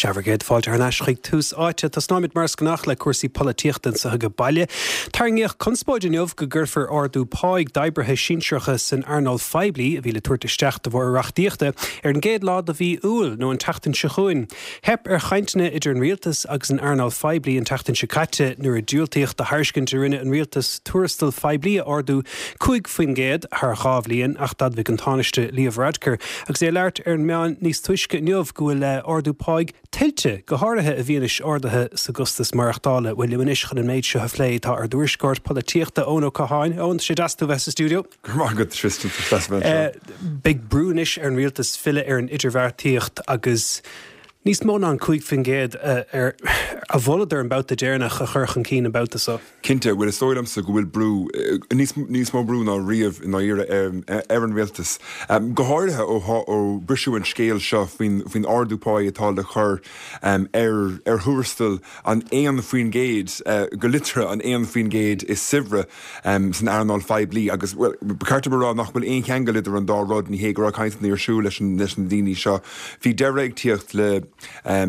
Sea, bhur gcéad fáilte thar n-ais chuig Tús Áite. Tosnóimid mar is gnách le cúrsaí polaitíochta anso age baile. Tarraingíodh conspóid inniu go gcuirfear ardú páigh d'oibrithe sinsearacha san earnáil phoiblí, a bhí le tabhairt isteach de bharr reachtaíochta, ar an gcéad lá de mhí Iúil, nó an tseachtain seo chugainn. Theip ar chainteanna idir an rialtas agus an earnáil phoiblí an tseachtain seo caite nuair a diúltaíodh do thairiscint a rinne an rialtas tuarastal poiblí a ardú 5% thar 2 bhliain ach d'admhaigh an Tánaiste Leo Varadkar agus é ag labhairt ar na meáin níos túisce inniu go bhfuil ardú páigh tuillte, go háirithe i bhfianaise arduithe sa gcostas maireachtála. Bhuel, liom anois chun an méid seo a phlé tá ár dtuairisceoir polaitíochta Eoin Ó Catháin. Eoin, tá sé deas tú a bheith sa stiúideo. Go raibh maith agat, Tristan, tá sé deas a bheith anseo. Beidh brú anois ar an rialtas filleadh ar an idirbheartaíocht agus níos mó ná an 5% a mholadar an babhta deireanach a chur chun cinn an babhta seo. Cinnte, bhuel is dóigh liomsa go bhfuil brú, níos níos mó brú ná riamh i ndáiríre ar an rialtas, go háirithe ó ó briseadh an scéal seo faoin faoin ardú páí atá le cur ar ar thuarastal an 1%, go liteartha an 1% is saibhre san earnáil phoiblí agus, bhuel, ba cheart dom a rá nach bhfuil aon cheangal idir an dá rud, ní hé go raibh cainteanna ar siúl leis leis na daoine seo. Bhí deireadh ag tíocht le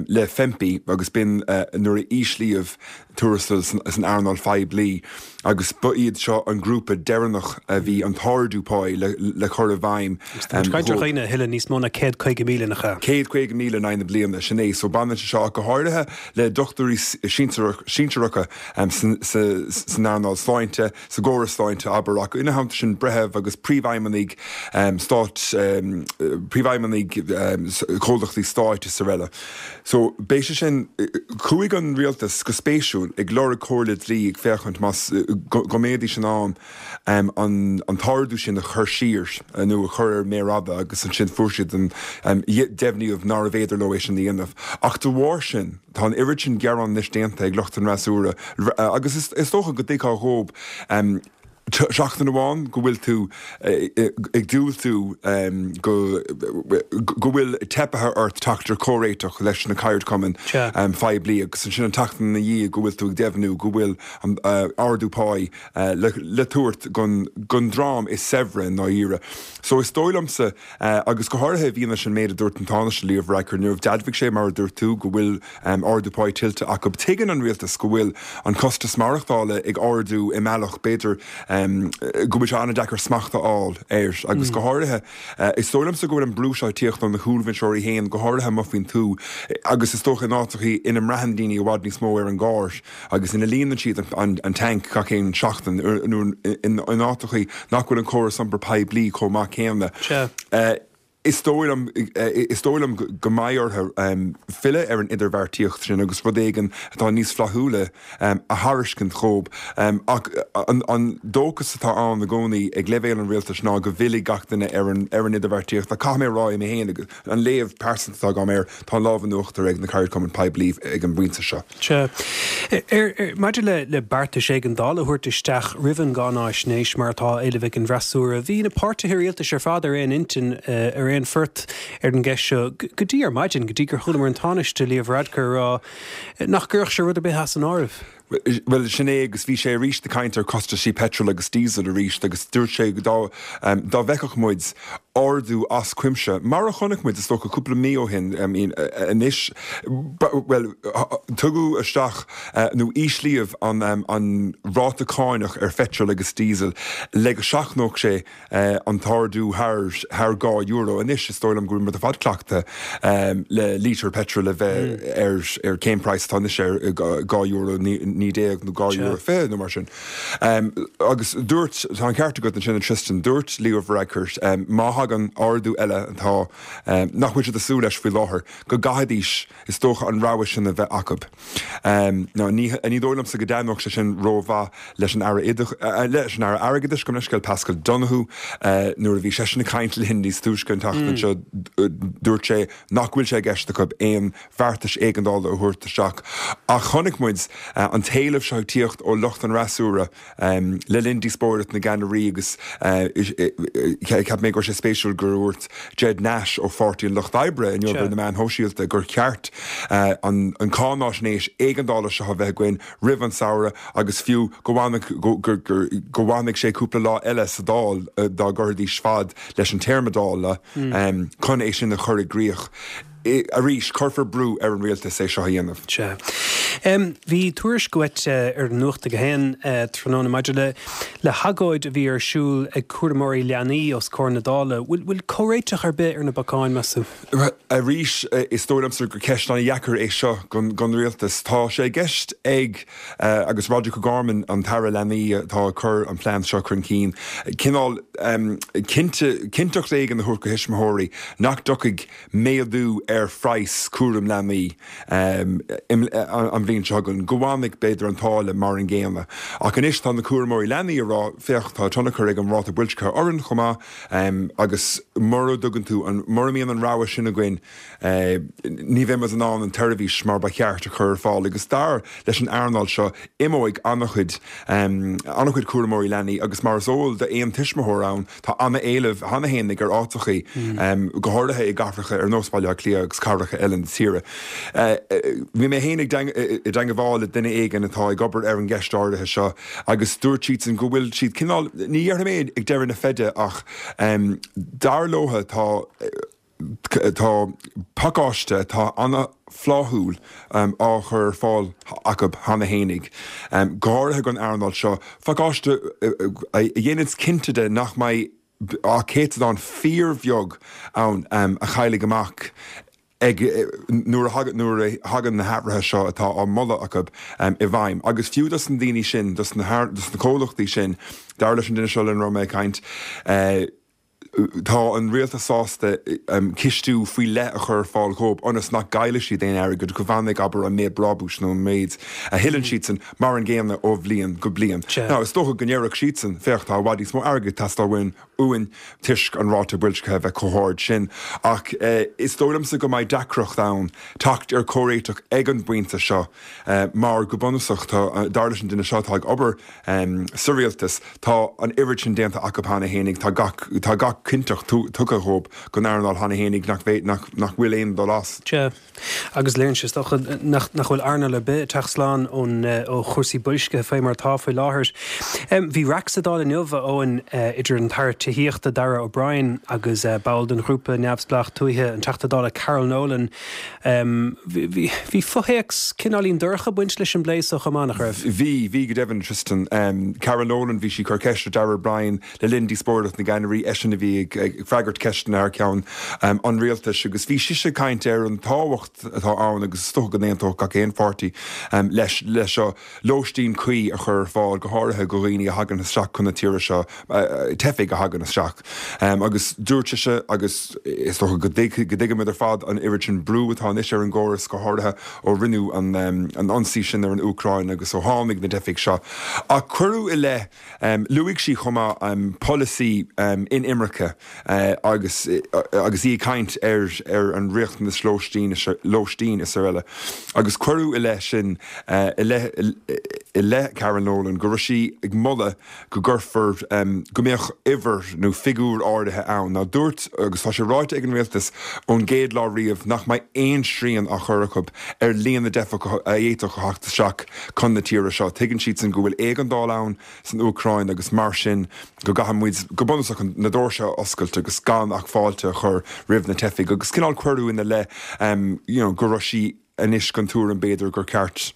le FEMPI agus b'in nuair a íslíodh tuarastal san earnáil phoiblí agus ba iad seo an grúpa deireanach a bhí an t-ardú páí le cur i bhfeidhm. Agus tá muid ag caint ar dhaoine a thuilleann níos mó ná 150,000, nach ea? 150,000 in aghaidh na bliana, sin é. So baineann sé seo ach go háirithe le dochtúirí sinsearacha san earnáil sláinte, sa gcóras sláinte, abair, ach ina theannta sin breithimh agus príomhfheidhmeannaigh stáit, príomhfheidhmeannaigh comhlachtaí stáit is araile. So, beidh sé sin, chuaigh an rialtas, go spéisiúil, ag lorg comhairle dlí ag féachaint más, go mbeidís in ann an an t-ardú sin a chur siar nó a chur ar méar fhada agus ansin fuair siad an, deimhníodh nárbh fhéidir leo é sin a dhéanamh. Ach de bharr sin, tá an oiread sin gearán anois déanta ag lucht an fhreasúra agus is dócha go dtuigfeá dhób, seachtain amháin go bhfuil tú ag diúltú go go bhfuil teipthe ort teacht ar chomhréiteach leis na ceardchumainn phoiblí agus ansin an tseachtain ina dhiaidh go bhfuil tú ag deimhniú go bhfuil an ardú páí le tabhairt don dream is saibhre i ndáiríre. So is dóigh liomsa, agus go háirithe i bhfianaise an méid a dúirt an Tánaiste Leo Varadkar inniu, d'admhaigh sé mar a dúirt tú go bhfuil ardú páí tuillte acu. Tuigeann an rialtas go bhfuil an costas maireachtála ag ardú i mbealach, b'fhéidir, go bhfuil sé an-deacair smacht a fháil air agus go háirithe, is dóigh liomsa go bhfuil an brú seo ag tíocht ó na cúlbhinseoirí féin, go háirithe amuigh faoin tuath agus is dócha in áiteachaí ina mbraitheann daoine i bhfad níos mó ar an gcarr agus ina líonann siad an tanc gach aon seachtain nó in áiteachaí nach bhfuil an córas iompair poiblí chomh maith céanna. Is dóigh liom, is dóigh liom go mbeidh orthu filleadh ar an idirbheartaíocht sin agus rud éigin atá níos flaithiúla a thairiscint dhóibh. Ach an dóchas atá ann i gcónaí ag leibhéal an rialtais ná go bhfillfidh gach duine ar an ar an idirbheartaíocht. Ach caithfidh mé a rá mé féin, an léamh pearsanta atá agam air, tá an lámh in uachtar ag na ceardchumainn poiblí ag an bpointe seo. Sea. Maidir le beartais éigeandála a thabhairt isteach roimh an gcáináisnéis, mar atá á éileamh ag an bhfreasúra, bhí na páirtithe rialtais ar fad ar aon intinn, ar aon phort ar an gceist seo go dtí ar maidin, go dtí gur chualamar an Tánaiste Leo Varadkar ag rá nach gcuirfeadh sé rud ar bith as an áireamh. Bhuel, sin é agus bhí sé arís ag caint ar chostaisí peitril agus díosail arís agus dúirt sé dá dá bhfeicfeadh muid ardú as cuimse, mar a chonaic muid is dócha cúpla mí ó shin, I mean anois, bhuel, tugadh isteach nó íslíodh an an ráta cáinach ar pheitreal agus díosal le go seachnódh sé an t-ardú thar thar €2. Anois is dóigh liom go bhfuil muid ar fad cleachta le lítear peitril a bheith ar ar cén praghas atá anois air, €2 19 nó €2.20 nó mar sin. Agus dúirt, tá an ceart agat ansin a Tristan, dúirt Leo Varadkar má thagann ardú eile atá, nach bhfuil siad ag súil leis faoi láthair, go gcaithfidís is dócha an rogha sin a bheith acu. Now ní, ní dóigh liomsa go dtaitneodh sé sin rómhaith leis an Aire leis an Aire Airgeadais, gabh mo leithscéal, Paschal Donohoe, nuair a bhí seisean ag caint linn níos túisce an tseachtain seo, dúirt sé nach bhfuil sé i gceist acu aon bheartais éigeandála a thabhairt isteach. Ach chonaic muid an t-éileamh seo ag tíocht ó lucht an fhreasúra le linn díospóireacht na gceannairí agus cheap mé go raibh sé spéisiúil gur dhúirt Ged Nash ó Pháirtí an Lucht Oibre inniu ar na meáin shóisialta gur cheart an cáináisnéis éigeandála seo a bheith againn roimh an samhradh agus fiú go go bhfanfadh sé cúpla lá eile sa Dáil dá gcuirfidís fad leis an téarma Dála chun é sin a chur i gcrích. Arís, cuirfear brú ar an rialtas é seo a dhéanamh. Sea. Bhí tuairisc uait ar Nuacht a hAon tráthnóna maidir le le hagóid a bhí ar siúl ag cúramóirí leanaí os comhair na Dála. Bhfuil comhréiteach ar bith ar na bacáin, meas tú? Arís, is dóigh liomsa gur ceist an-dheacair é seo don rialtas. Tá sé i gceist ag, agus Roderic O'Gorman, an tAire Leanaí atá ag cur an plean seo chun cinn, cineál cinnteacht éigin a thabhairt do thuismitheoirí nach dtiocfaidh méadú ar phraghas cúram leanaí an bhliain seo chugainn, go bhfanfaidh, b'fhéidir, an táille mar an gcéanna. Ach anois tá na cúramóirí leanaí ag rá, féach, tá tionchar ag an ráta boilscithe orainn chomh maith agus mura dtugann tú an, mura mbíonn an rogha sin againn, ní bheidh muid in ann an tseirbhís mar ba cheart a chur ar fáil. Agus dar leis an earnáil seo, imeoidh an-chuid, an-chuid cúramóirí leanaí agus mar is eol d'aon tuismitheoir ann, Tá an-éileamh cheana fhéinig ar áiteachaí, go háirithe i gcathracha ar nós Baile Átha Cliath agus cathracha eile na tíre. Bhí mé féin i dteangabháil le duine éigin atá ag obair ar an gceist áirithe seo agus dúirt siadsan go bhfuil siad cineál, ní dhéarfaidh mé ag deireadh na feide ach dar leotha tá, Tá pacáiste atá an-fhláithiúil á chur ar fáil acu cheana fhéinig, go háirithe don earnáil seo, pacáiste a dhéananns cinnte de nach mbeidh ach céatadán fíorbheag ann a chaillfidh amach ag nuair a thagann na hathruithe seo atá á moladh acu i bhfeidhm. Agus fiú dos na daoine sin, dos na comhlachtaí sin, dar leis an duine seo lena raibh mé ag caint, Tá an rialtas sásta cistiú faoi leith a chur ar fáil dhóibh ionas nach gcaillfidh siad aon airgead, go bhfanfaidh, abair, an méid brabúis nó an méid a thuilleann siadsan mar an gcéanna ó bhliain go bliain. Now, is dócha go ndéarfadh siadsan, féach, tá i bhfad níos mó airgid ag teastáil uainn, uainn toisc an ráta boilscithe a bheith chomh hard sin. Ach is dóigh liomsa go mbeidh deacracht ann teacht ar chomhréiteach ag an bpointe seo mar go bunúsach tá, dar leis an duine seo atá ag obair, Sa rialtas, tá an oiread sin déanta acu cheana fhéinig, tá gach, tá gach cinnteacht tugtha dhóib don earnáil cheana fhéinig nach bhféad, nach, nach bhfuil aon dul as. Sea, agus léiríonn sé, is dócha, nach, nach bhfuil earnáil ar bith ag teacht slán ón, ó chúrsaí boilscithe faoi mar atá faoi láthair. Bhí raic sa Dáil inniu, a Eoin, idir an tAire Tithíochta, Darragh O'Brien, agus ball den ghrúpa neamhspleách tuaithe, an Teachta Dála Carol Nolan. Bhí fothéacs cineáilín dorcha ag baint leis an bplé so chomh maith, nach raibh? Bhí, bhí go deimhin, Tristan. Carol Nolan, bhí sí ag cur ceist ar Darragh O'Brien le linn díospóireacht na gceannairí, eisean a bhí ag freagairt ceisteanna thar ceann an rialtais agus bhí sise ag caint ar an tábhacht atá ann agus is dócha go n-aontódh gach aon pháirtí leis seo, lóistín cuí a chur ar fáil, go háirithe do dhaoine a thagann isteach chun na tíre seo, teifigh a thagann isteach. Agus dúirt sise, agus is dócha go dtuigimid ar fad an oiread sin brú atá anois ar an gcóras, go háirithe ó rinneadh an ionsaí sin ar an Úcráin agus ó tháinig na teifigh seo. Ach cuireadh i leith, luaigh sí chomh maith polasaí inimirce agus agus í ag caint ar ar an riachtanas lóistín lóistín is araile. Agus cuireadh i leith sin i leith i leith Carol Nolan go raibh sí ag moladh go gcuirfear go mbeadh uimhir nó figiúr áirithe ann. Now dúirt, agus tá sé ráite ag an rialtas ón gcéad lá riamh, nach mbeidh aon srian á chur acu ar líon na dteifeach a fhéadfadh a theacht isteach chun na tíre seo. Tuigeann siadsan go bhfuil éigeandáil ann san Úcráin agus mar sin go gcaithfidh muid go bunúsach na doirse a oscailt agus gan ach fáilte a chur roimh na teifigh agus cineál cuireadh ina leith you know go raibh sí anois den tuairim b'fhéidir gur ceart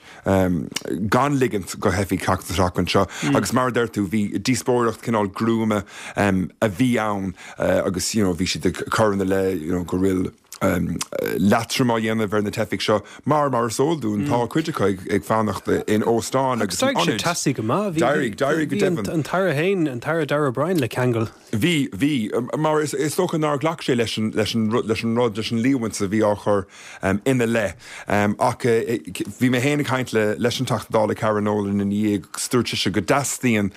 gan ligint do theifigh teacht isteach anseo agus mar a deir tú bhí díospóireacht cineál gruama a bhí ann agus you know bhí siad ag cur ina leith you know go bhfuil leatrom á dhéanamh ar na teifigh seo mar, mar is eol dúinn, tá cuid acu ag fanacht in óstáin agus in ionaid. Agus d'éirigh sé teasaí go maith. D'éirigh, d'éirigh go deimhin. Bhí an tAire féin, an tAire Darragh O'Brien le ceangal. Bhí, bhí. Mar is dócha nár ghlac sé leis an, leis an, leis an rud, leis an líomhaint a bhí á chur ina leith. Ach bhí mé féin ag caint le, leis an Teachta Dála Carol Nolan ina dhiaidh agus dúirt sise go dteastaíonn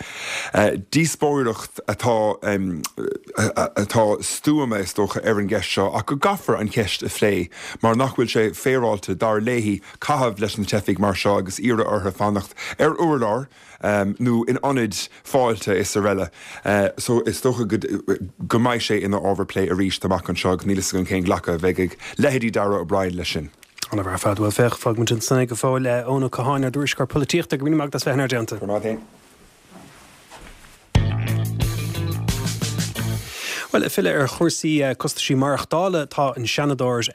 díospóireacht atá, atá stuama, is dócha, ar an gceist seo ach go gcaithfear an cheist a phlé mar nach bhfuil sé féaráilte, dar léi, caitheamh leis na teifigh mar seo agus iarraidh orthu fanacht ar urlár nó in ionaid fáilte is araile. So is dócha go mbeidh sé ina ábhar plé arís amach anseo agus níl a fhios agam cén glacadh a bheidh ag leithéidí Darragh O'Brien leis sin. An-mhaith ar fad. Bhuel, féach, fágfaidh muid ansin é go fóill. Eoin Ó Catháin, ár dtuairisceoir polaitíochta, go raibh míle maith agat as bheith inár dteannta. Go raibh maith agat féin. Bhuel. Bhuel, ag filleadh ar chúrsaí costaisí maireachtála, tá an Seanadóir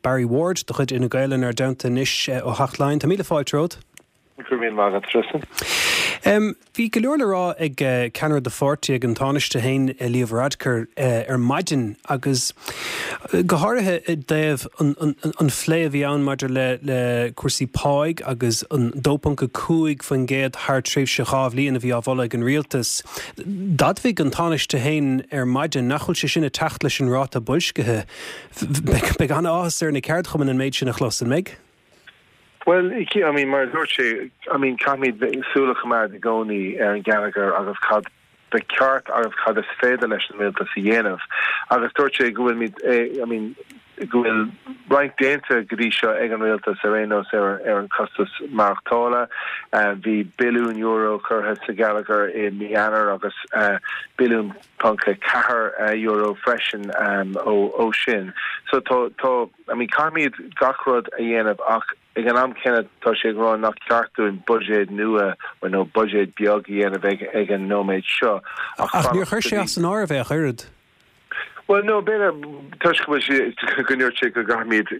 Barry Ward de chuid Fhine Gael inár dteannta anois ó Theach Laighean. Tá míle fáilte romhat. Go raibh míle maith agat, Tristan. Bhí go leor le rá ag ceannaire do pháirtí, ag an Tánaiste féin, Leo Varadkar, ar maidin agus go háirithe i dtaobh an phlé a bhí ann maidir le cúrsaí páigh agus an 2.5% thar tréimhse 2 bhliain a bhí á mholadh ag an rialtas. D'admhaigh an Tánaiste féin ar maidin nach bhfuil sé sin ag teacht leis an ráta boilscithe. Beidh an-áthas ar na ceardchumainn an méid sin a chlos, an mbeidh? Bhuel, I mean, mar a dúirt sé, I mean, caithfimid súil a choimeád i gcónaí ar an gheilleagar agus cad ba cheart agus cad is féidir leis an rialtas a dhéanamh. Agus dúirt sé go bhfuilimid, I mean, go bhfuil roinnt déanta go dtí seo ag an rialtas ar aon nós ar ar an costas maireachtála. Bhí billiún euro curtha sa gheilleagar i mí Eanáir agus billiún ponc 4 euro freisin ó sin. So tá tá I mean caithfimid gach rud a dhéanamh ach ag an am céanna tá sé ag rá nach ceart dúinn buiséad nua nó buiséad beag a dhéanamh ag ag an nóiméad seo ach Ach níor chuir sé as an áireamh é ach oiread. Bhuel no b'fhéidir toisc go bhfuil sé go ndúirt sé go gcaithfimid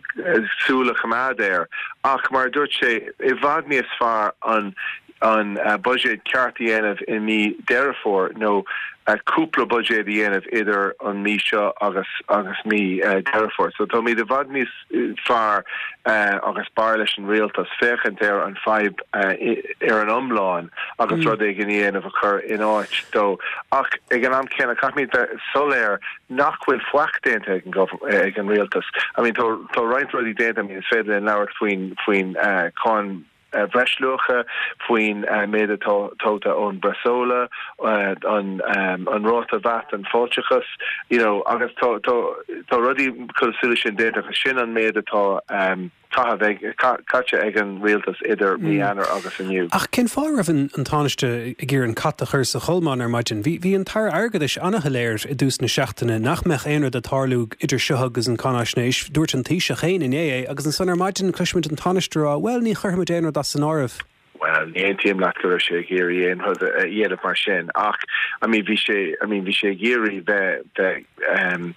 súil a choimeád air ach mar a dúirt sé i bhfad níos fearr an an buiséad ceart a dhéanamh i mí Deireadh Fómhair nó cúpla buiséad a dhéanamh idir an mí seo agus agus mí Deireadh Fómhair. So táimid i bhfad níos fearr agus b'fhearr leis an rialtas féachaint ar an fadhb ar an iomlán agus rud éigin a dhéanamh a chur in áit dó. Ach ag an am céanna caithfimid bheith soiléir nach bhfuil faic déanta ag an ag an rialtas. I mean tá tá roinnt rudaí déanta, I mean is féidir linn labhairt faoin faoin cáin bhreisluacha, faoin méid atá tógtha ón bpresóla, an ráta VAT, an fáilteachas, you know, agus tá tá tá rudaí cosúil leis sin déanta agus sin an méid atá caitheamh ag caite ag an rialtas idir mí Eanáir agus inniu. Ach cén fáth a raibh an Tánaiste ag iarraidh an cat a chur sa cholmán ar maidin? Bhí bhí an tAire Airgeadais an-shoiléir i dtús na seachtaine nach mbeadh aon rud ag tarlú idir seo agus an cáináisnéis. Dúirt an Taoiseach féin inné é agus ansan ar maidin cloisimid an Tánaiste ag rá, bhuel, ní chuirfimid aon rud as an áireamh. Bhuel, ní aontaím leat go raibh sé ag iarraidh aon rud a dhéanamh mar sin ach I mean bhí sé, I mean bhí sé ag iarraidh bheith, bheith ehm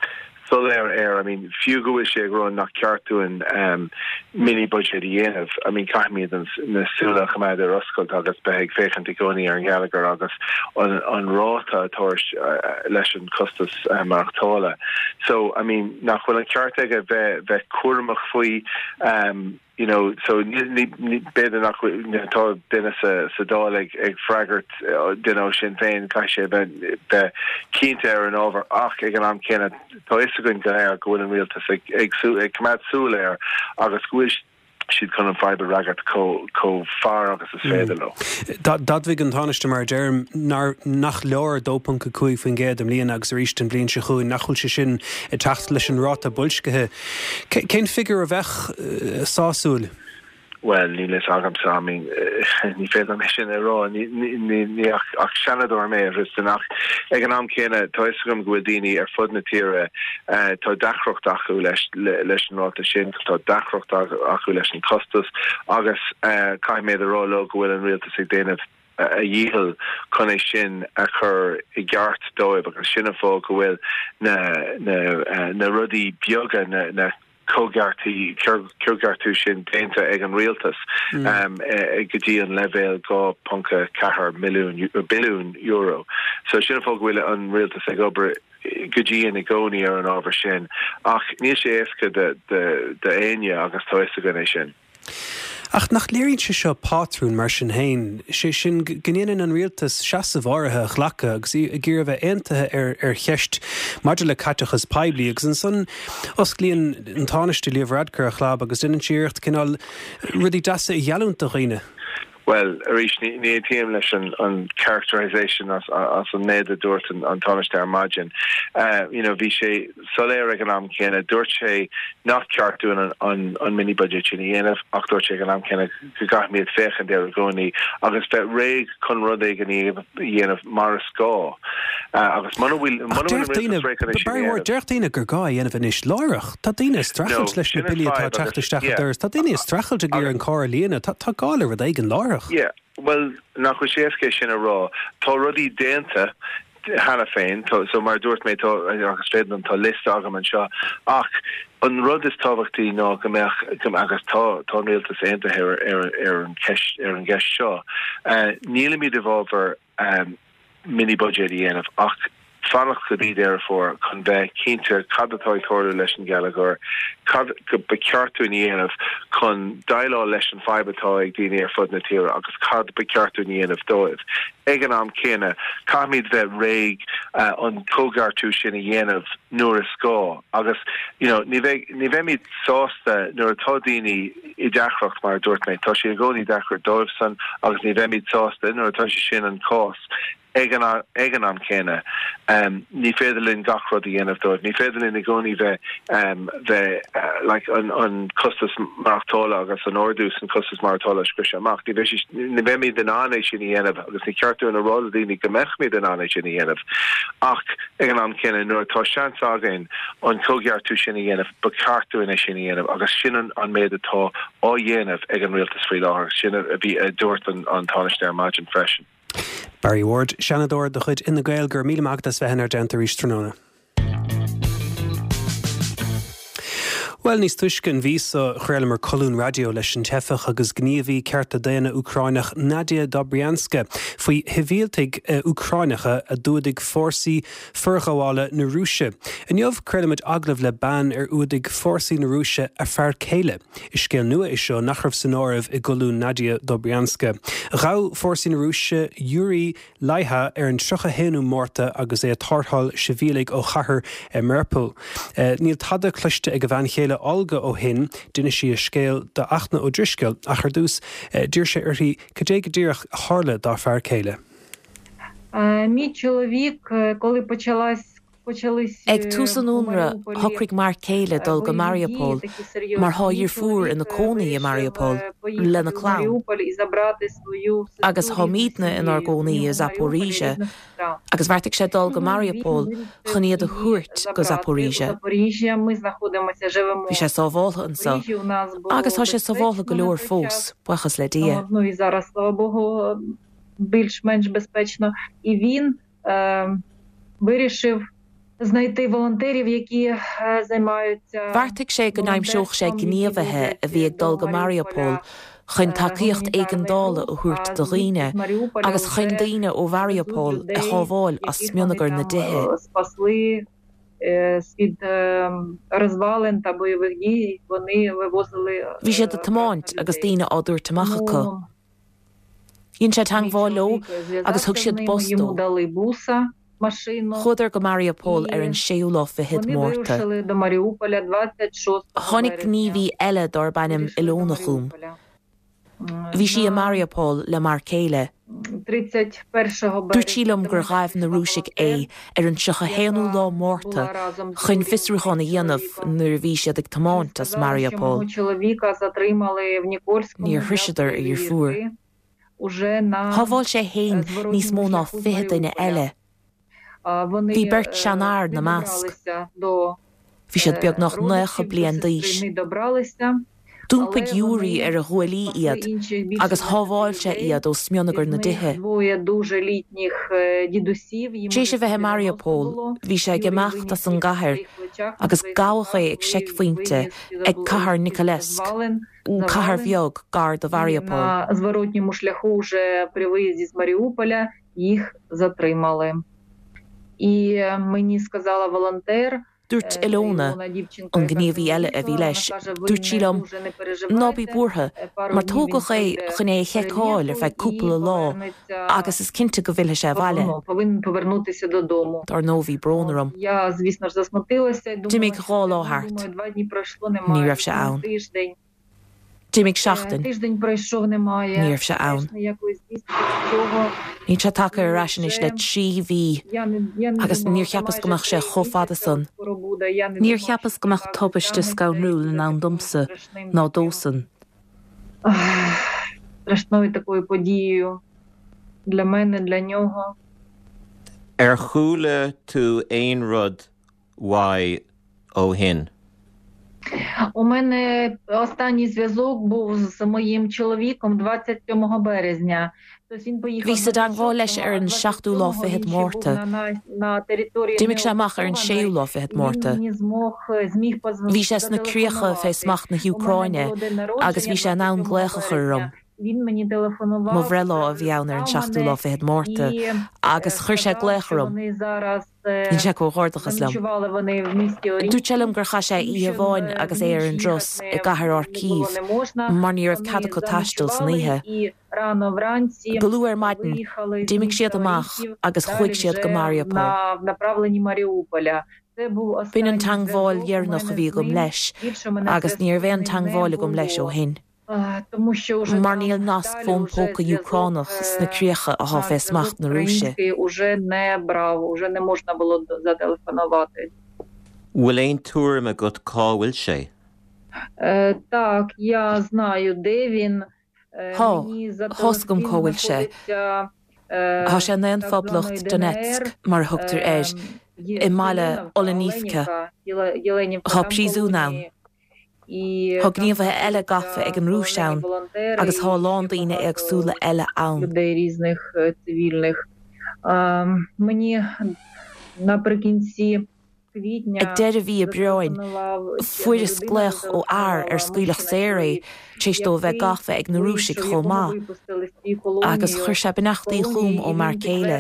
soiléir air, I mean fiú go bhfuil sé ag rá nach ceart dúinn ehm mini budget a dhéanamh, I mean caithfimid an, na súile a choimeád ar oscailt agus bheith ag féachaint i gcónaí ar an gheilleagar agus an, an ráta atá leis an costas maireachtála. So, I mean, nach bhfuil an ceart aige bheith, bheith cúramach faoi, um, you know, so ní, ní, b'fhéidir nach bhfuil, tá duine sa, sa Dáil ag, ag freagairt duine ó Sinn Féin, caithfidh sé bheith, bheith cinnte ar an ábhar ach ag an am céanna tá fhios againn go léir go bhfuil an rialtas ag, ag, ag coimeád súil air agus go bhfuil siad chun an fadhb a fhreagairt chomh fearr agus is féidir leo. D'admhaigh an Tánaiste, mar a deirim, nach leor 2.5% i mbliana agus arís an bhliain seo chugainn, nach bhfuil sé sin ag teacht leis an ráta boilscithe. Cén figiúr a bheadh sásúil? Bhuel, níl fhios agamsa, I mean, ní féidir liom é sin a rá, ní ach seanadóir mé, a Thristan, ach ag an am céanna tá fhios agam go bhfuil daoine ar fud na tíre, tá deacracht acu leis an ráta sin, tá deacracht acu leis an costas agus caithfidh mé a rá leo go bhfuil an rialtas ag déanamh a dhícheall chun é sin a chur i gceart dóibh agus sin an fáth go bhfuil na na na rudaí beaga, na na coigeartaí coigeartú sin déanta ag an rialtas go dtí an leibhéal 2.4 milliún billiún euro. So sin an fáth go bhfuil an rialtas ag obair go dian i gcónaí ar an ábhar sin, ach níl sé éasca d'éinne agus tá fhios againn é sin. Ach nach léiríonn sé seo pátrún mar sin féin, sé sin go ndéanann an rialtas seasamh áirithe a ghlacadh agus ag iarraidh a bheith aontaithe ar ar cheist maidir le caiteachas poiblí agus ansan osclaíonn an Tánaiste Leo Varadkar a chlab agus déanann sé iarracht cineál rudaí deasa a gheallúint do dhaoine. Bhuel, arís, ní aontaím leis an characterisation as an méid a dúirt an Tánaiste ar maidin. You know, bhí sé soiléir ag an am céanna, dúirt sé nach ceart dúinn an mini budget sin a dhéanamh ach dúirt sé ag an am céanna go gcaithfimid féachaint air i gcónaí agus bheith réidh chun rud éigin a dhéanamh mar is gá. Agus muna bhfuil an rialtas réidh chun é sin a dhéanamh. Deir daoine gur gá é a dhéanamh anois láithreach. Tá daoine ag streachailt leis na billí atá ag teacht isteach an doras. Tá daoine ag streachailt ag iarraidh an carr a líonadh. Tá gá le rud éigin láithreach. Yeah, bhuel, nach bhfuil sé éasca é sin a rá. Tá rudaí déanta. cheana féin. So mar a dúirt mé, tá, agus féadann, tá liosta agam anseo, ach an rud is tábhachtaí ná go mbeadh, agus tá, tá an rialtas aontaithe ar, ar, ar an cheist, ar an gceist seo, nílimid i bhfabhar mini-buidéad a dhéanamh ach fanacht go dtí Deireadh Fómhair chun bheith cinnte cad atá ag tarlú leis an gheilleagar, cad ba cheart dúinn a dhéanamh chun déileáil leis an fadhb atá ag daoine ar fud na tíre agus cad ba cheart dúinn a dhéanamh dóibh. Ag an am céanna, caithfimid bheith réidh an coigeartú sin a dhéanamh nuair is gá agus you know ní bheidh, ní bheimid sásta nuair atá daoine i deacracht, mar a dúirt mé, tá sé i gcónaí deacair dóibhsan agus ní bheimid sásta nuair atá sé sin an cás. Ag an ag an am céanna, ní féidir linn gach rud a dhéanamh dóibh. Ní féidir linn i gcónaí bheith bheith like an an costas maireachtála agus an ardú san costas maireachtála a scriosadh amach. Ní bheidh sé ní bheimid in ann é sin a dhéanamh agus ní ceart dúinn a rá le daoine go mbeimid in ann é sin a dhéanamh. Ach ag an am céanna, nuair atá seans againn an coigeartú sin a dhéanamh, ba cheart dúinn é sin a dhéanamh agus sin an an méid atá á dhéanamh ag an rialtas faoi láthair. Sin a bhí a dúirt an an Tánaiste ar maidin freisin. Barry Ward, Seanadóir de chuid Fhine Gael, go raibh míle maith agat as bheith inár dteannta arís tráthnóna. Bhuel, níos túisce an mhí seo, chraolamar colún raidió leis an teifeach agus gníomhaí cearta daonna Úcráineach Nadia Dobrianska faoi shibhialtaigh Úcráineacha a d'fhuadaigh fórsaí forghabhála na Rúise. Inniu, craolaimid agallamh le bean ar fhuadaigh fórsaí na Rúise a fear céile. Is scéal nua é seo nach raibh san áireamh i gcolún Nadia Dobrianska. Ghabh fórsaí na Rúise Yuriy Lyha ar an 31ú Márta agus é ag tarrtháil sibhialaigh ó chathair Mariupol. Níl tada cloiste ag a bhean chéile Olga ó shin. D'inis sí a scéal do Fhachtna Ó Drisceoil ach ar dtús d'iarr sé uirthi cad é go díreach a tharla dá fear céile. Ag tús an ionraidh, shocraigh m'fhear céile dul go Mariupol mar tá a dheirfiúr ina cónaí i Mariupol lena clann. Agus táimidne inár gcónaí i Zaporizhzhia agus bheartaigh sé dul go Mariupol chun iad a thabhairt go Zaporizhzhia. Bhí sé sábháltha anseo agus tá sé sábháltha go leor fós, buíochas le Dia. Bheartaigh sé go n-aimseodh sé gníomhaithe a bhí ag dul go Mariupol chun tacaíocht éigeandála a thabhairt do dhaoine agus chun daoine ó Mhariupol a shábháil as smionagar na dtithe. Bhí siad ag tiomáint agus daoine á dtabhairt amach acu. Dhein sé teagmháil leo agus thug siad bus dó. Chuadar go Mariupol ar an séú lá fichead Márta. Tháinig gníomhaí eile darb ainm Ilona chugam. Bhí sí i Mariupol le m'fhear céile. Dúirt sí liom gur ghaibh na Rúisigh é ar an 31ú lá Márta chun fiosrúchán a dhéanamh nuair a bhí siad ag tiomáint as Mariupol. Níor shroiseadar a dheirfiúr. Shábháil sé fhéin níos mó ná 20 duine eile. Bhí beirt seanfhear ina measc. Bhí siad beagnach 90 bliain d'aois. D'iompaigh Yuri ar a ghuaillí iad agus shábháil sé iad ó smionagar na dtithe. Tar éis a bheith i Mariupol, bhí sé ag imeacht as an gcathair agus gabhadh é ag seicphointe ag cathair Nikolaevsk, cathair bheag gar do Mhariupol. Їх затримали. І мені сказала волонтер. Dúirt Ilona, an gníomhaí eile a bhí leis, dúirt sí liom, 'Ná bí buartha, mar tógadh é chun é a sheiceáil ar feadh cúpla lá agus is cinnte go bhfillfidh sé abhaile. Dar ndóigh bhí brón orm. D'imigh dhá lá thart. Ní raibh sé ann. D'imigh seachtain. Ní raibh sé ann. Níl sé tagtha ar ais anois le 3 mhí agus níor cheapas go mbeadh sé chomh fada san. Níor cheapas go mbeadh tubaiste scanrúil in ann domsa ná dósan. Ar chuala tú aon rud uaidh ó shin? У мене останній зв'язок був з моїм чоловіком 27 березня. Bhíos i dteangmháil leis ar an seachtú lá fichead Márta. D'imigh sé amach ar an séú lá fichead Márta. Bhí sé sna críocha fé smacht na hÚcráine agus bhí sé in ann glaoch a chur orm. Mo bhreithlá a bhí ann ar an seachtú lá fichead Márta agus chuir sé glaoch orm. Dhein sé comhghairdeachas liom. Dúirt sé liom gur chaith sé oíche amháin agus é ar an dturas i gcathair Kharkiv mar ní raibh cead acu taisteal san oíche. Go luath ar maidin, d'imigh siad amach agus chuaigh siad go Mariupol. B'in an teangmháil dheireanach a bhí agam leis agus ní raibh aon teangmháil agam leis ó shin. mar níl nasc fón póca Úcránach sna críocha athá fé smacht na Rúise. Bhfuil aon tuairim agat cá bhfuil sé? Thá, thá's agam cá bhfuil sé. Thá sé i nDaon-Phoblacht Donetsk, mar a thugtar air, i mbaile Olenivka. Thá príosún ann. Tá gníomhaithe eile gafa ag an Rúis ann agus tá a lán daoine éagsúla eile ann. Ag deireadh mhí Aibreáin, fuaireas glaoch ó fhear ar scaoileadh saor é tar éis dó a bheith gafa ag na Rúisigh chomh maith, agus chuir sé beannachtaí chugam ón m'fhear céile.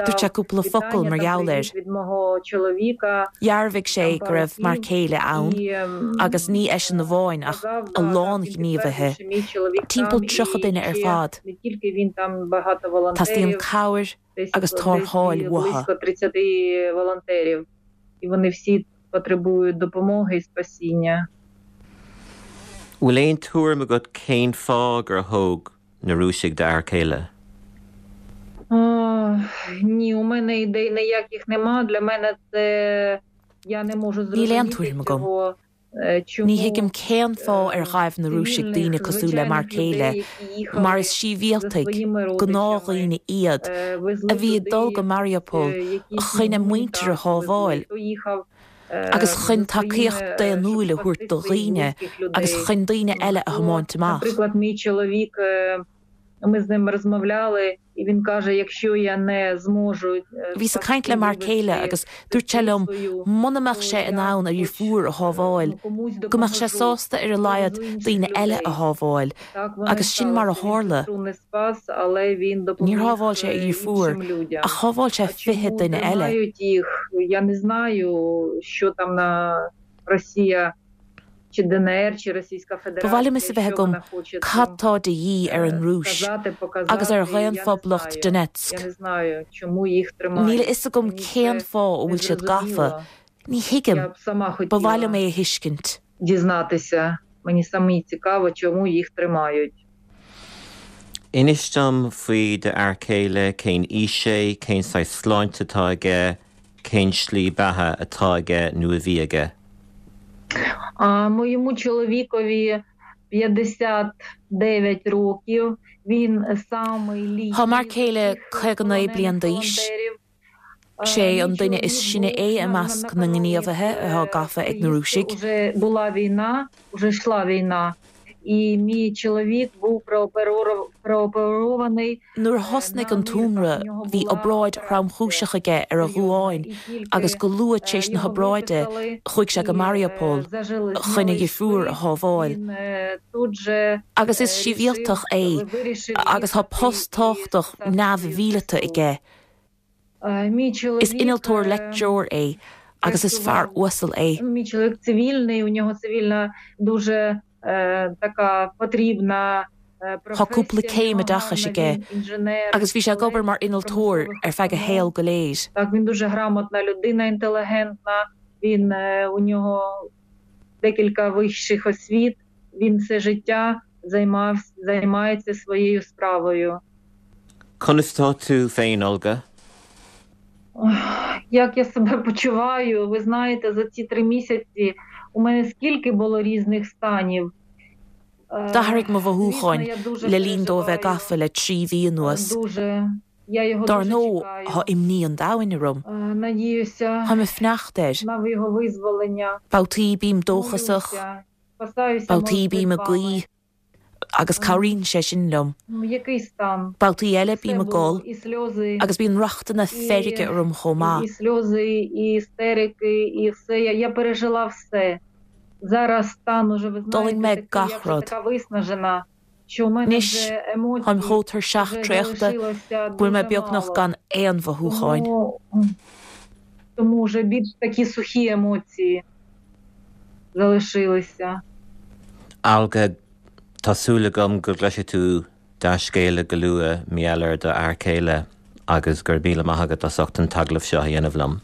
Dúirt sé cúpla focal mar gheall air. Dhearbhaigh sé go raibh m'fhear céile ann, agus ní eisean amháin ach a lán gníomhaithe, timpeall 30 duine ar fad. Teastaíonn cabhair agus tarrtháil uathu. Bhfuil aon tuairim agat cén fáth gur thóg na Rúisigh d'fhear céile? Níl aon tuairim agam. Ní thuigim cén fáth ar ghaibh na Rúisigh daoine cosúil le m'fhear céile, mar is sibhialtaigh, gnáthdhaoine iad, a bhí ag dul go Mariupol chun a muintir a shábháil, agus chun tacaíocht daonnúil a thabhairt do dhaoine agus chun daoine eile a thiomáint amach. Bhíos ag caint le m'fhear céile agus dúirt sé liom muna mbeadh sé in ann a dheirfiúr a shábháil, go mbeadh sé sásta ar a laghad daoine eile a shábháil agus sin mar a tharla. Níor shábháil sé a dheirfiúr ach shábháil sé 20 duine eile. Ba mhaith liom fhios a bheith agam cad tá de dhíth ar an Rúis agus ar Dhaon-Phoblacht Donetsk. Níl a fhios agam cén fáth a bhfuil siad gafa. Ní thuigim. Ba mhaith liom é a thuiscint. Inis dom faoi d'fhear céile, cén aois é, cén saghas sláinte atá aige, cén slí beatha atá aige nó a bhí aige. Моєму чоловікові 59 років. Він самий літній. Tá m'fhear céile 59 bliain d'aois. Sé an duine is sine é i measc na ngníomhaithe atá gafa ag na Rúisigh. Nuair a thosnaigh an t-ionradh bhí obráid thromchúiseach aige ar a dhuáin agus go luath tar éis na hobráide chuaigh sé go Mariupol chun a dheirfiúr a shábháil. Agus is sibhialtach é agus tá post tábhachtach neamh-mhíleata aige. Is innealtóir leictreoir é agus is fear uasal é. Tá cúpla céim oideachais aige agus bhí sé ag obair mar innealtóir ar feadh a shaoil go léir. Conas tá tú féin, Olga? Як я себе почуваю? Ви знаєте, за ці три місяці у мене скільки було різних станів. D'athraigh mo mhothúcháin le linn domh a bheith gafa le 3 mhí anuas. Dár ndóigh, thá imní an domhain orm. Táim ag fanacht air. Babhtaí bím dóchasach, babhtaí bím ag guí, agus cabhraíonn sé sin liom. Babhtaí eile bím ag gol, agus bíonn rachtanna feirge orm chomh maith. D'fhulaing mé gach rud. Anois, táim chomh tuirseach traochta go bhfuil mé beagnach gan aon mhothúcháin. Olga, tá súil agam go gcloisfidh tú dea-scéala go luath mar gheall ar do fhear céile agus go raibh míle maith agat as ucht an t-agallamh seo a dhéanamh liom.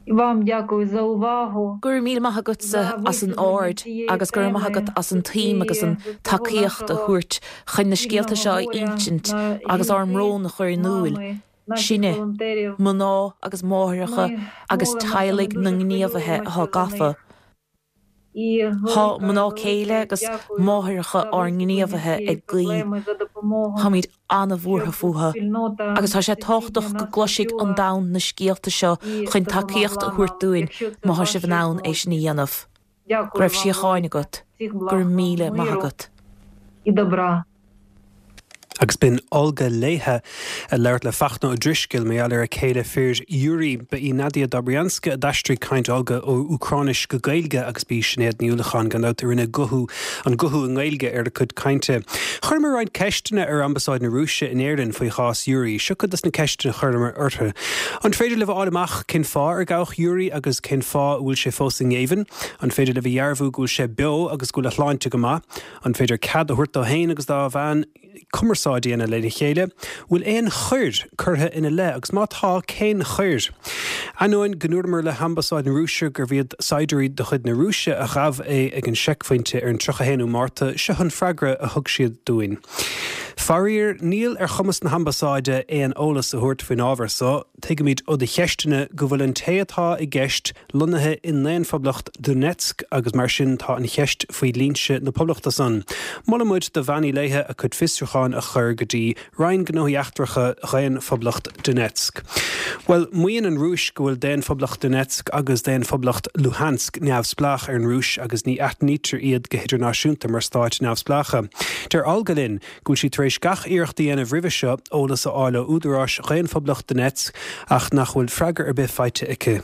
Go raibh míle maith agatsa as an aird agus go raibh maith agat as an tsuim agus an tacaíocht a thabhairt chun na scéalta seo a insint agus ár mbrón a chur in iúil, sinne, mná agus máithreacha agus teaghlaigh na ngníomhaithe atá gafa. Tá mná céile agus máithreacha ár ngníomhaithe ag guí. Táimid an-bhuartha fúthu agus tá sé tábhachtach go gcloisfidh an domhan na scéalta seo chun tacaíocht a thabhairt dúinn má tá sibh in ann é sin a dhéanamh. Go raibh síocháin agat. Go raibh míle maith agat. Agus b'in Olga Léithe ag labhairt le Fachtna Ó Drisceoil mar gheall ar a céile fir Yuri. Ba í Nadia Dobrianska a d'aistrigh caint Olga ó Úcráinis go Gaeilge agus ba í Sinéad Ní Uallacháin gan dabht a rinne guthú an guthú i nGaeilge ar a cuid cainte. Chuireamar roinnt ceisteanna ar Ambasáid na Rúise in Éirinn faoi chás Yuri. Seo cuid des na ceisteanna a chuireamar orthu. An féidir libh a fháil amach cén fáth ar gabhadh Yuri agus cén fáth a bhfuil sé fós i ngéibheann? An féidir libh a dhearbhú go bhfuil sé beo agus go bhfuil a shláinte go maith? An féidir cead a thabhairt dó féin agus dá bhean cumarsáid a dhéanamh lena chéile? Bhfuil aon choir curtha ina leith agus má tá, cén choir? Ainneoin go ndúramar le hAmbasáid na Rúise gurbh iad saighdiúirí de chuid na Rúise a ghabh é ag an seicphointe ar an 31ú Márta, seo an freagra a thug siad dúinn. Faraor, níl ar chumas na hAmbasáide aon eolas a thabhairt faoin ábhar so. Tuigimid ó do cheisteanna go bhfuil an té atá i gceist lonnaithe i nDaon-Phoblacht Donetsk agus mar sin tá an cheist faoi dhlínse na poblachta san. Molann muid do Bhean Uí Léithe a cuid fiosrúcháin a chur go dtí Roinn Gnóthaí Eachtracha Dhaon-Phoblacht Donetsk. Bhuel, maíonn an Rúis go bhfuil Daon-Phoblacht Donetsk agus Daon-Phoblacht Luhansk neamhspleách ar an Rúis agus ní aithnítear iad go hidirnáisiúnta mar stáit neamhspleácha. Deir Olga linn go bhfuil sí tar éis gach iarracht a dhéanamh roimhe seo eolas a fháil ó údaráis Dhaon-Phoblacht Donetsk ach nach bhfuil freagra ar bith faighte aici.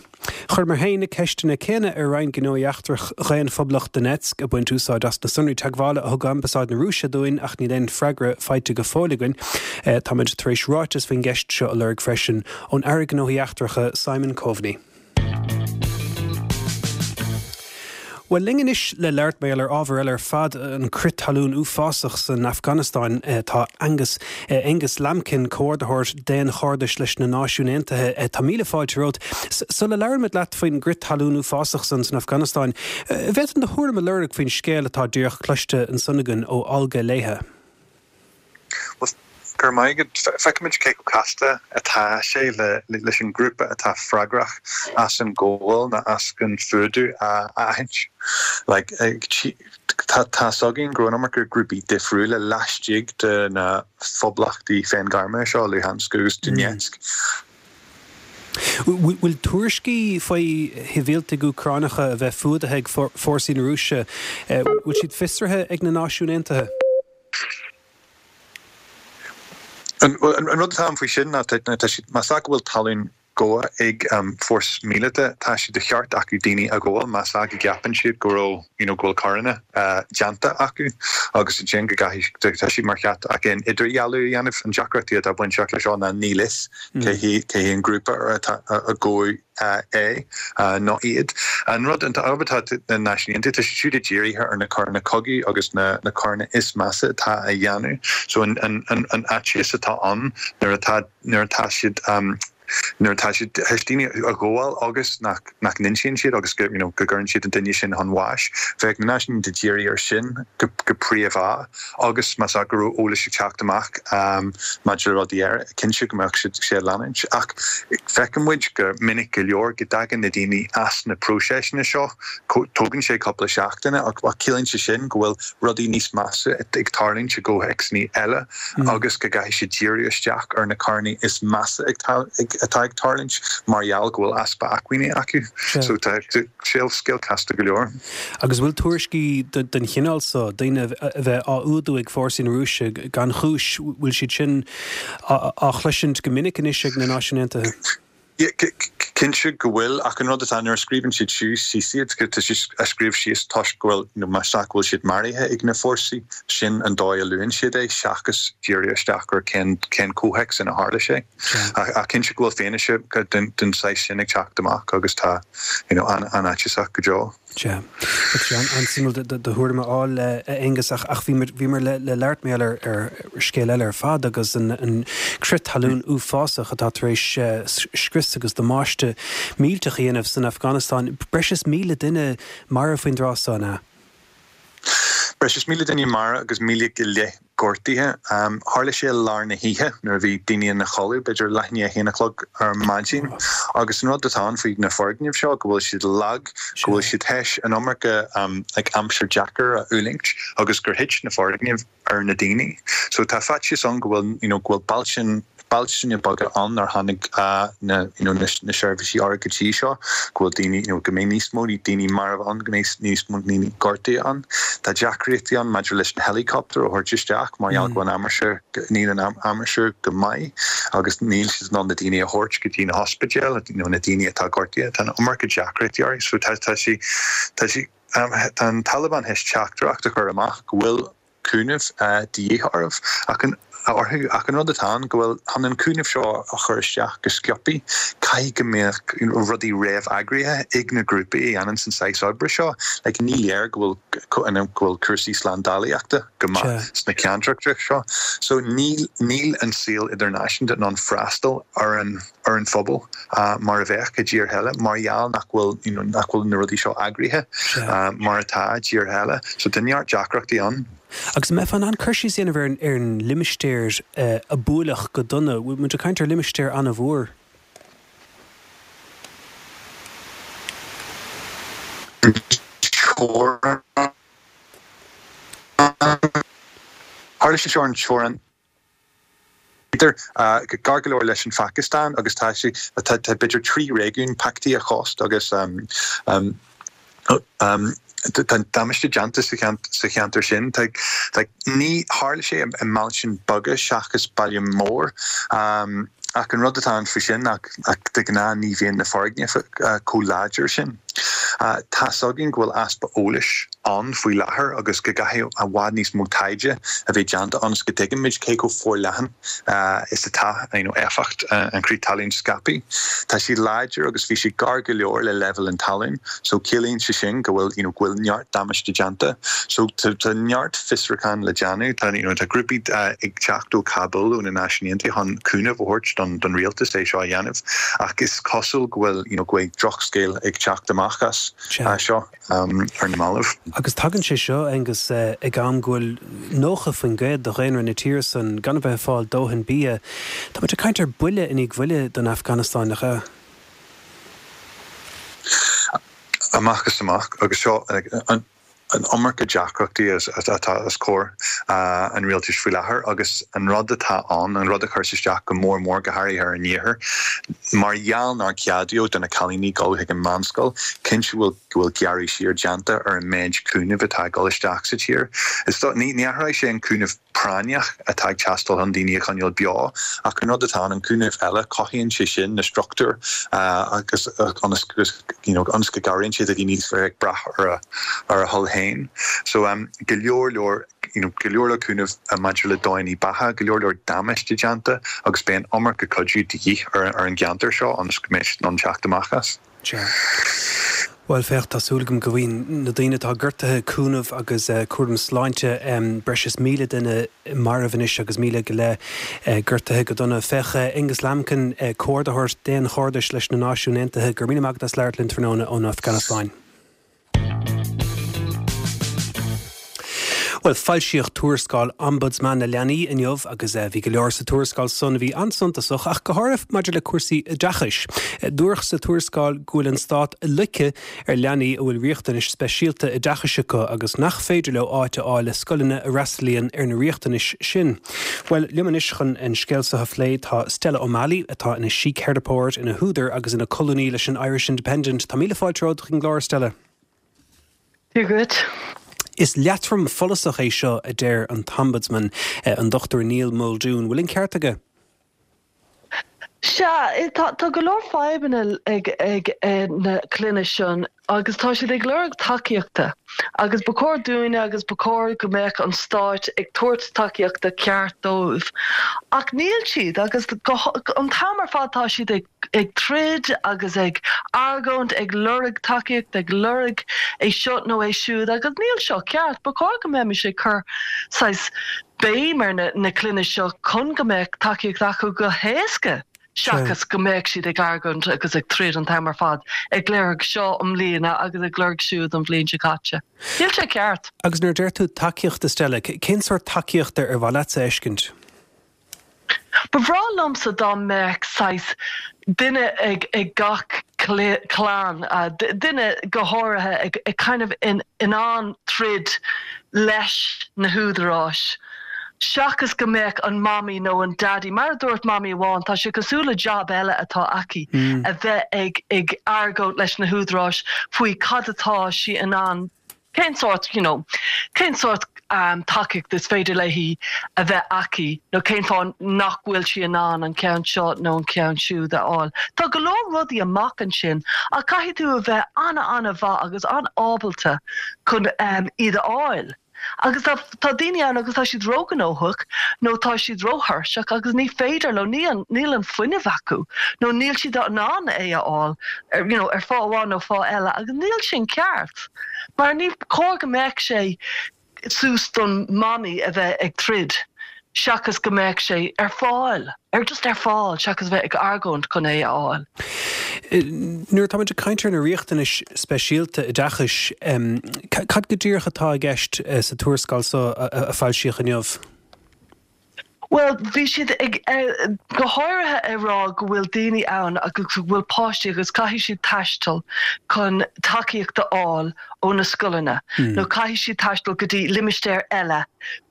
Chuireamar féin na ceisteanna céanna ar Roinn Gnóthaí Eachtrach Dhaon-Phoblacht Donetsk, ag baint úsáid as na sonraí teagmhála a thug Ambasáid na Rúise dúinn ach níl aon freagra faighte go fóill againn. Táimid tar éis ráiteas faoin gceist seo a lorg freisin ón Aire Gnóthaí Eachtracha Simon Coveney. Bhuel, linn anois le labhairt mar gheall ar ábhar eile ar fad, an crith talún uafásach san Afganastáin, tá Angus, Aonghus Lambkin, Comhordaitheoir Daonchairdis leis na Náisiúin Aontaithe. Tá míle fáilte romhat. Sula labhraímid leat faoin gcrith talún uafásach san san Afganastáin, an bhféadfainn do thuairim a lorg faoin scéal atá díreach cloiste ansan againn ó Olga Léithe? Bhuel, go raibh maith agat. Feicimid cé chomh casta atá sé leis an ngrúpa atá freagrach as an gabháil nó as an fuadú a aithint. Like, tá tá's againn go raibh an iomarca grúpaí difriúla laistigh de na phoblachtaí féinghairme seo, Luhansk agus Donetsk. Bhfuil tuairiscí faoi shibhialtaigh Úcránacha a bheith fuadaithe ag fórsaí na Rúise, bhfuil siad fiosraithe ag na Náisiúin Aontaithe? An rud atá ann faoi sin ná tá siad, más ea go bhfuil talún gafa ag fórsa míleata, tá sé de cheart acu daoine a ghabháil más ea go gceapann siad go raibh, you know, go bhfuil coireanna déanta acu agus ansin go gcaithfidh, tá siad mar cheart acu an idirdhealú a dhéanamh. An deacrachtaí atá bainteach leis seo ná níl fhios cé hé an grúpa atá a gabhadh. é nó iad. An rud, an obair atá na Náisiúin Aontaithe, tá siad siúd dírithe ar na coireanna cogaidh agus na coireanna is measa atá á dhéanamh. So an fhaitíos atá ann nuair atá, nuair atá siad. nuair atá siad théis daoine a ghabháil agus nach nach n-insíonn siad agus go you know go gcuireann siad an duine sin chun bháis. Bheadh na Náisiúin Aontaithe ag díriú air sin go go príomha agus más ea go raibh eolas ag teacht amach maidir le rudaí eile, cinnte go mbeadh siad sé ag leanúint. Ach feiceann muid go minic go leor go dtagann na daoine as na próiseasanna seo, tógann sé cúpla seachtaine ach ciallaíonn sé sin go bhfuil rudaí níos measa ag tarlúint i gcomhthéacsanna eile agus go gcaithfidh siad díriú isteach ar na coireanna is measa atá ag tarlúint mar gheall go bhfuil easpa acmhainní acu. So tá scéal casta go leor. Agus bhfuil tuairiscí den chineál so, daoine a bheith á fhuadú ag fórsaí na Rúise gan chúis, bhfuil siad sin á chloisint go minic anois ag na Náisiúin Aontaithe? Cinnte go bhfuil, ach an rud atá, nuair a scríobhann siad síos iad, tá siad á scríobh síos toisc go bhfuil, nó más ea go bhfuil siad maraithe ag na fórsaí, sin an dóigh a luann siad é, seachas díriú isteach ar cén cén comhthéacs ina tharla sé. Ach cinnte go bhfuil fianaise den saghas sin ag teacht amach agus tá, you know, an-fhaitíosach go deo. Sea. Tá sé an-suimiúil do thuairim a fháil, a Aonghus, ach bhíomar le labhairt mar gheall ar scéal eile ar fad agus an crith talún uafásach atá tar éis scrios agus damáiste millteach a dhéanamh san Afganastáin. Breis is 1,000 duine marbh faoin dtráth so, an ea? Breis is 1,000 duine marbh agus 1,000 go leith gortaithe. Tharla sé i lár na hoíche nuair a bhí daoine ina chodladh, b'fhéidir leath i ndiaidh a haon a chlog ar maidin. Agus an rud atá ann faoi na foirgnimh seo go bhfuil siad lag, go bhfuil siad théis an iomarca like aimsir deacair a fhulaingt agus gur thit na foirgnimh ar na daoine. So tá faitíos ann go bhfuil you know go bhfuil bailte bailte beaga ann nár tháinig na you know na seirbhísí orthu go dtí seo, go bhfuil daoine you know go mbeidh níos mó daoine marbh ann, go mbeidh níos mó daoine gortaithe ann. Tá deacrachtaí ann maidir leis na héileacaptair a thabhairt isteach mar gheall go bhfuil an aimsir, níl an aimsir go maith agus níl siad in ann na daoine a thabhairt go dtí na hospidéil, you know na daoine atá gortaithe. Tá an iomarca deacrachtaí orthu so tá tá sí tá sí tá an Taliban théis teachtaireacht a chur amach go bhfuil cúnamh de dhíth orthu ach an orthu ach an rud atá ann go bhfuil chun an cúnamh seo a chur isteach go sciobtha caithfidh go mbeadh rudaí réamh-eagraithe ag na grúpaí a dhéanann an saghas oibre seo. Like ní léir go bhfuil go bhfuil cúrsaí slándálaíochta go maith sna ceantracha seo. So níl níl an saol idirnáisiúnta in ann freastal ar an ar an phobal mar a bheadh i dtíortha eile mar gheall nach bhfuil you know nach bhfuil na rudaí seo eagraithe mar atá i dtíortha eile. So tá neart deacrachtaí ann. Agus an mbeifeá in ann cur síos a dhéanamh ar an ar an limistéar a buaileadh go dona? Bhfuil muid ag caint ar limistéar an-mhór? Teorainn. Tharla sé seo ar an teorainn. Idir, gar go leor leis an Phacastáin agus tá sé, tá b'fhéidir 3 réigiún, Paktia, Khost agus tá damáiste déanta sa cheantar sin. Tá, ní, tharla sé i mbailte beaga seachas baile mór ach an rud atá ann faoi sin ná de ghnáth ní bhíonn na foirgnimh chomh láidir sin. Tá's againn go bhfuil easpa eolais ann faoi láthair agus go gcaithfidh i bhfad níos mó taighde a bheith déanta ionas go dtuigfimid cé chomh forleathan is atá éifeacht an crith talún scaipthe. Tá sé láidir agus bhí sé gar go leor le leibhéal an talún so ciallaíonn sé sin go bhfuil you know go bhfuil neart damáiste déanta. So tá neart fiosrúchán le déanamh. Tá you know tá grúpaí ag teacht ó Kabul ó na Náisiúin Aontaithe chun cúnamh a thabhairt don don rialtas é seo a dhéanamh ach is cosúil go bhfuil you know go bhfuil drochscéal ag teacht amach as seo ar na mallaibh. Agus tagann sé seo, Aengus, ag am go bhfuil 90% de dhaonra na tíre san gan a bheith ag fáil dóthain bia. Tá muid ag caint ar buille i ndiaidh bhuille don Afganastáin, nach ea? Amach is amach. Agus seo an iomarca deacrachtaí atá os comhair an rialtais faoi láthair agus an rud atá ann, an rud a chuireas isteach go mór mór, go háirithe ar an iarthar, mar gheall nár ceadaíodh do na cailíní dul chuig an meánscoil, cinnte go bhfuil go bhfuil gearradh siar déanta ar an méid cúnaimh atá ag dul isteach sa tír. Is dóigh, ní athróidh sé an cúnamh práinneach atá ag teastáil chun daoine a choinneáil beo ach an rud atá ann, an cúnamh eile, cothaíonn sé sin na struchtúir agus ionas you know ionas go gcabhraíonn sé do dhaoine a bheith ag brath ar a ar a thoil féin. So go leor leor you know go leor leor cúnamh maidir le dóigheanna beatha, go leor leor damáiste déanta agus beidh an iomarca cuidiú de dhíth ar ar an gceantar seo ionas go mbeidh siad in ann teacht amach as. Sea. Bhuel, féach, tá súil agam go bhfaigheann na daoine atá gortaithe cúnamh agus cúram sláinte. Breis is 1,000 duine marbh anois agus 1,000 go leith gortaithe go dona. Féach, Angus Lambkin, Comhordaitheoir Daonchairdis leis na Náisiúin Aontaithe, go raibh míle maith agat as labhairt linn tráthnóna ón Afganastáin. Bhuel, foilsíodh tuarascáil Ombudsman na Leanaí inniu agus bhí go leor sa tuarascáil san a bhí an-suntasach ach go háirithe maidir le cúrsaí oideachais. Dúradh sa tuarascáil go bhfuil an stát ag loiceadh ar leanaí a bhfuil riachtanais speisialta oideachais acu agus nach féidir leo áit a fháil i scoileanna a fhreastalaíonn ar na riachtanais sin. Bhuel, liom anois chun an scéal seo a phlé tá Stella O'Malley atá ina síctheiripeoir, ina húdar agus ina colúnaí leis an Irish Independent. Tá míle fáilte romhat chuig an gclár, Stella. Dia dhuit. Is leatrom follasach é seo, a deir an tOmbudsman, an Dr Neil Muldoon. Bhfuil an ceart aige? Sea, tá go leor fadhbanna ag na clainne sin agus tá siad ag lorg tacaíochta agus ba chóir dúinne agus ba chóir go mbeadh an stáit ag tabhairt tacaíochta ceart dóibh ach níl siad agus an t-am ar fad tá siad ag ag troid agus ag argóint, ag lorg tacaíocht, ag lorg é seo nó é siúd agus níl seo ceart. Ba chóir go mbeimis ag cur saghas béim ar na clainne seo chun go mbeadh tacaíocht acu go héasca seachas go mbeadh siad ag argóint agus ag troid an t-am ar fad, ag lorg seo i mbliana agus ag lorg siúd an bhliain seo caite. Níl sé ceart. Agus nuair a deir tú tacaíocht, a Stella, cén sórt tacaíochta ar mhaith leatsa a fheiscint? Ba bhreá liomsa dá mbeadh saghas duine ag gach clann, duine go háirithe ag kind of in ann troid leis na húdaráis seachas go mbeadh an mamaí nó an daidí, mar a dúirt mamaí amháin, tá sé cosúil le job eile atá aici, a bheith ag argóint leis na húdaráis faoi cad atá sí in ann Cén sórt, you know, cén sórt tacaíocht is féidir léi a bheith aici nó cén fáth nach bhfuil sí in ann an ceann seo nó an ceann siúd a fháil. Tá go leor rudaí amach ansin ach caithfidh tú a bheith an-an-mhaith agus an-ábalta chun iad a fháil. Agus tá tá daoine ann agus tá siad róghnóthach nó tá siad róthuirseach agus ní féidir leo, níl an fuinneamh acu nó níl siad in ann é a fháil you know, ar fáth amháin nó fáth eile agus níl sin ceart. Mar ní chóir go mbeadh sé suas don mamaí a bheith ag troid seachas go mbeadh sé ar fáil, ar just ar fáil seachas bheith ag argóint chun é a fháil. Nuair atáimid ag caint ar na riachtanais speisialta oideachais, cad go díreach atá i gceist sa tuarascáil seo a foilsíodh inniu? Bhuel, bhí siad ag, go háirithe ag rá go bhfuil daoine ann agus go bhfuil páistí agus caithfidh siad taisteal chun tacaíocht a fháil ó na scoileanna nó caithfidh siad taisteal go dtí limistéar eile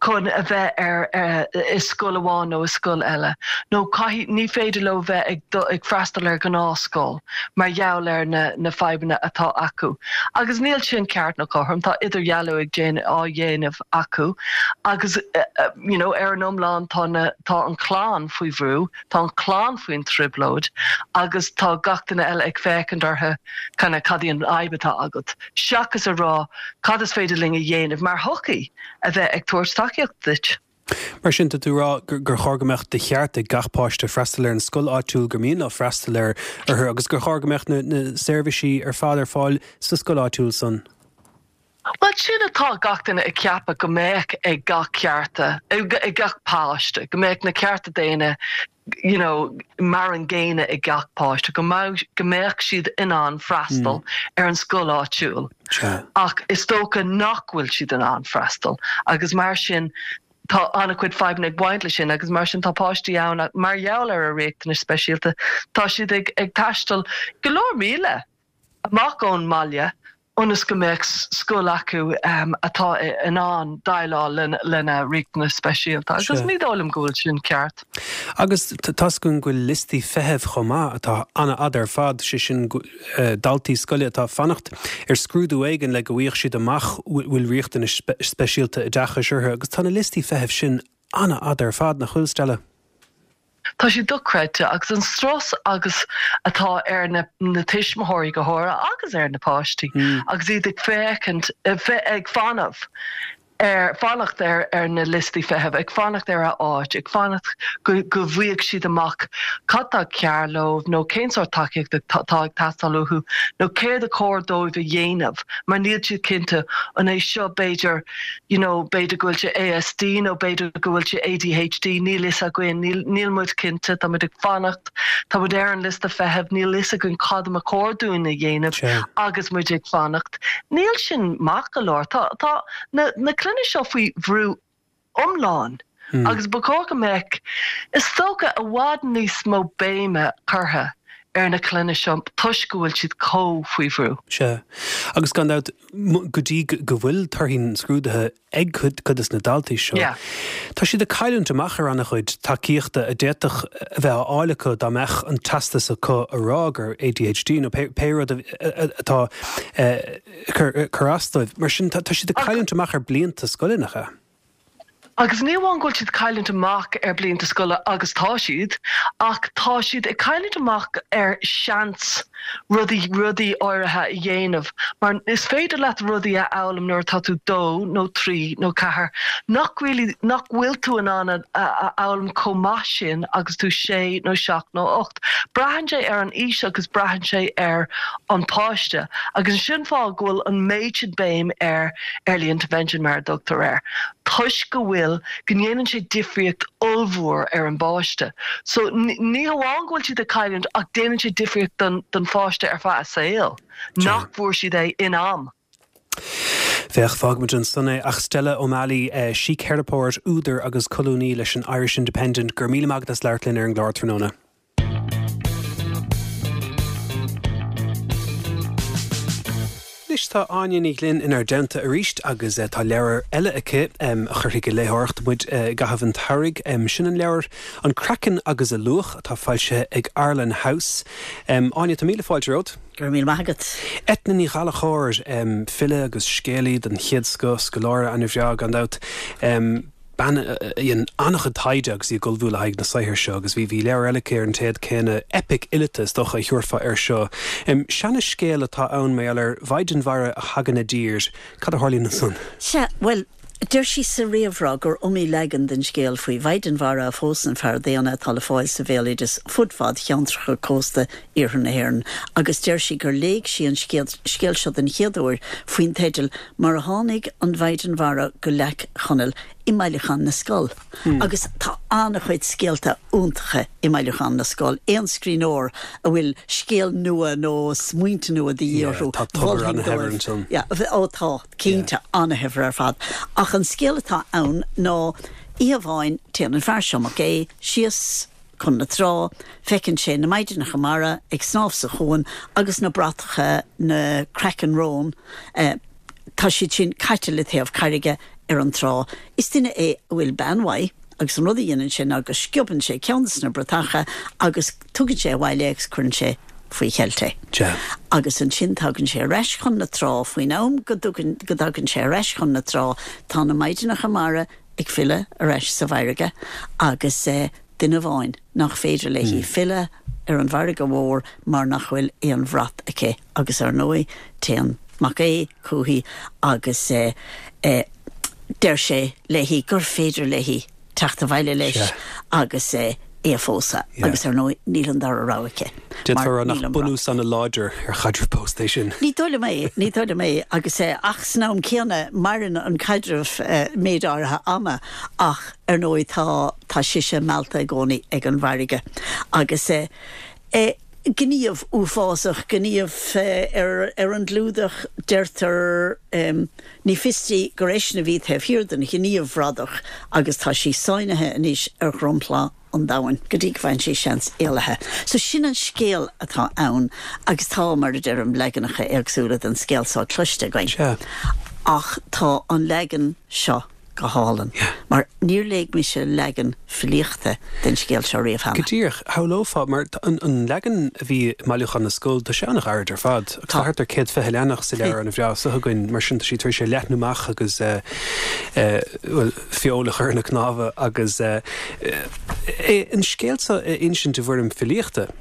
chun a bheith ar i scoil amháin nó i scoil eile nó caithfidh, ní féidir leo bheith ag ag freastal ar ghnáthscoil mar gheall ar na na fadhbanna atá acu. Agus níl sin ceart nó cothrom, tá idirdhealú ag déanamh á dhéanamh acu agus you know ar an iomlán tá na tá an chlann faoi bhrú, tá an chlann faoin trioblóid agus tá gach duine eile ag féachaint orthu kind of cad í an fhadhb atá agat seachas a rá cad is féidir linn a dhéanamh mar shochaí a bheith ag tabhairt tacaíocht duit. Mar sin, tá tú ag rá gur chóir go mbeadh de cheart ag gach páiste freastal ar an scoil áitiúil gur mian leo freastal ar uirthi agus gur chóir go mbeadh na na seirbhísí ar fad ar fáil sa scoil áitiúil san. Bhuel, sin atá gach duine ag ceapadh go mbeadh ag gach cearta, ag gach páiste, go mbeadh na cearta daonna you know mar an gcéanna ag gach páiste, go mbeadh, go mbeadh siad in ann freastal ar an scoil áitiúil. Ach is dócha nach bhfuil siad in ann freastal agus mar sin tá an-chuid fadhbanna ag baint leis sin agus mar sin tá páistí ann mar gheall ar a riachtanais speisialta, tá siad ag, ag taisteal go leor míle amach ón mbaile ionas go mbeadh scoil acu atá in ann déileáil lena riachtanais speisialta agus ní dóigh liom go bhfuil sin ceart. Agus tá's againn go bhfuil liostaí feithimh chomh maith atá an-fhada ar fad, sé sin daltaí scoile atá ag fanacht ar scrúdú éigin le go bhfaighidh siad amach bhfuil riachtanais speisialta oideachais orthu agus tá na liostaí feithimh sin an-fhada ar fad, nach bhfuil, Stella? Tá sé dochreidte agus an strus agus atá ar na na tuismitheoirí go háirithe agus ar na páistí agus iad ag féachaint, ag fanacht. Ar fanacht ar ar na liostaí feithimh, ag fanacht ar a áit, ag fanacht go go bhfaighidh siad amach cad tá cearr leo nó cén sórt tacaíochta atá ag teastáil uathu nó céard a chóir dóibh a dhéanamh mar níl siad cinnte an é seo b'fhéidir you know b'fhéidir go bhfuil sé ASD nó b'fhéidir go bhfuil sé ADHD níl fhios againn níl níl muid cinnte tá muid ag fanacht tá muid ar an liosta feithimh níl fhios againn cad a mba chóir dúinn a dhéanamh agus muid ag fanacht. Níl sin maith go leor. Tá, tá na, na clainne seo faoi bhrú iomlán agus ba chóir go mbeadh, is dócha, i bhfad níos mó béime curtha ar na clainne seo toisc go bhfuil siad chomh faoi bhrú. Sea. Agus gan dabht, go dtí go bhfuil torthaí na scrúduithe ag cuid de na daltaí seo. Tá siad ag cailliúint amach ar an-chuid tacaíochta a d'fhéadfadh a bheith á fháil acu dá mbeadh an teastas acu a rá gur ADHD nó pé rud atá ag cur as dóibh. Mar sin, tá siad ag cailliúint amach ar blianta scoile, nach ea? Agus ní amháin go bhfuil siad ag cailliúint amach ar blianta scoile, agus tá siad, ach tá siad ag cailliúint amach ar seans rudaí, rudaí áirithe a dhéanamh mar is féidir leat rudaí a fhoghlaim nuair atá tú dó nó trí nó ceathair nach really, nach bhfuil tú in ann a fhoghlaim chomh maith sin agus tú sé nó seacht nó ocht. Braitheann sé ar an aois agus braitheann sé ar an páiste agus sin fáth go bhfuil an méid sin béim ar early intervention mar a dtugtar air toisc go bhfuil, go ndéanann sé difríocht ollmhór ar an bpáiste. So ní hamháin go bhfuil siad ag cailliúint ach déanann sé difríocht don don pháiste ar feadh a saoil nach bhfuair siad é in am. Féach, fágfaimid ansan é. Ach Stella O'Malley, síctheiripeoir, údar agus colúnaí leis an Irish Independent, go raibh míle maith agat as labhairt linn ar an gclár tráthnóna. Anois tá Áine Ní Ghlinn inár dteannta arís agus tá leabhar eile aici a chuirfidh ag léitheoireacht muid i gcaitheamh an tsamhraidh. Sin an leabhar An Craiceann agus a Luach atá foilsithe ag Arlen House. Áine, tá míle fáilte romhat. Go raibh míle maith agat. Eithne Ní Ghallchóir, file agus scéalaí den chéad scoth, scoláire an-bhreá gan dabht. bean a dhein an-chuid taighde agus í ag ullmhú le haghaidh na saothair seo agus bhí bhí leabhar eile aici ar an téad céanna, eipic fhileata is dócha a thabharfá air seo. Seana-scéal atá ann mar gheall ar mhaighdean mhara a thagann i dtír. Cad a tharlaíonn ansan? Sea, bhuel, deir sí sa réamhrá gur iomaí leagan den scéal faoi mhaighdean mhara a phósann fear daonna atá le fáil sa bhéaloideas fud fad cheantracha cósta iarthar na hÉireann agus deir sí gur léigh sí an scéal seo den chéad uair faoin teideal Mar a Tháinig an Mhaighdean Mhara go Leac Chonaill i mBailiúchán na Scol. Agus tá an-chuid scéalta iontacha i mBailiúchán na Scol. Aon scríbhneoir a bhfuil scéal nua nó smaointe nua de dhíth orthu, Tá tobar ana-shaibhir ansan. Yeah, ó tá, cinnte, ana-shaibhir ar fad. Ach an scéal atá ann ná oíche amháin téann an fear seo, Mac Aodha, síos, Chun na trá, feiceann sé na maighdeanacha mara ag snámh sa chuan agus na bratacha, na craicinn róin, tá siad sin caite le taobh carraige ar an trá. Is duine é a bhfuil bean mhaith agus an rud a dhéanann sé ná go sciobann sé ceann de na bratacha agus tugann sé abhaile é agus cuireann sé faoi cheilt é. Agus ansin tagann sé ar ais chun na trá. Faoin am go dtagann sé ar ais chun na trá tá na maighdeanacha mara ag filleadh ar ais sa bhfarraige agus duine amháin nach féidir léi filleadh ar an bhfarraige mhór mar nach bhfuil aon bhrat aici agus ar ndóigh téann Mac Aodha chúichi agus deir sé léi gur féidir léi teacht abhaile leis agus é a phósadh agus ar ndóigh níl an dara rogha aici D'fhéadfá a rá nach bunús ana-láidir ar chaidreamh pósta é sin. Ní dóigh liom é, ní dóigh liom é agus ach san am céanna maireann an caidreamh méid áirithe ama ach ar ndóigh tá tá sise meallta i gcónaí ag an bhfarraige agus eh gníomh uafásach, gníomh ar ar an gclúdach deirtear ní fios di gur eisean a bhí taobh thiar den ghníomh bhradach agus tá sí sáinnithe anois ar dhromchla an domhain go dtí go bhfaigheann sí seans éalaithe. So sin an scéal atá ann agus tá, mar a deirim, leaganacha éagsúla den scéal seo cloiste againn. Sea. Ach tá an leagan seo go hálainn mar níor léigh mise leagan filíochta den scéal seo riamh cheana. Go díreach, shamhlófá, mar an leagan a bhí i mBailiúchán na Scol, tá sé an-ghairid ar fad agus tá thart ar 120 leathanach sa leabhar an-bhreá seo againn, mar sin tá sí tar éis é a leathnú amach agus, bhuel, feoil a chur ina cnámha agus an scéal seo a insint i bhfoirm filíochta.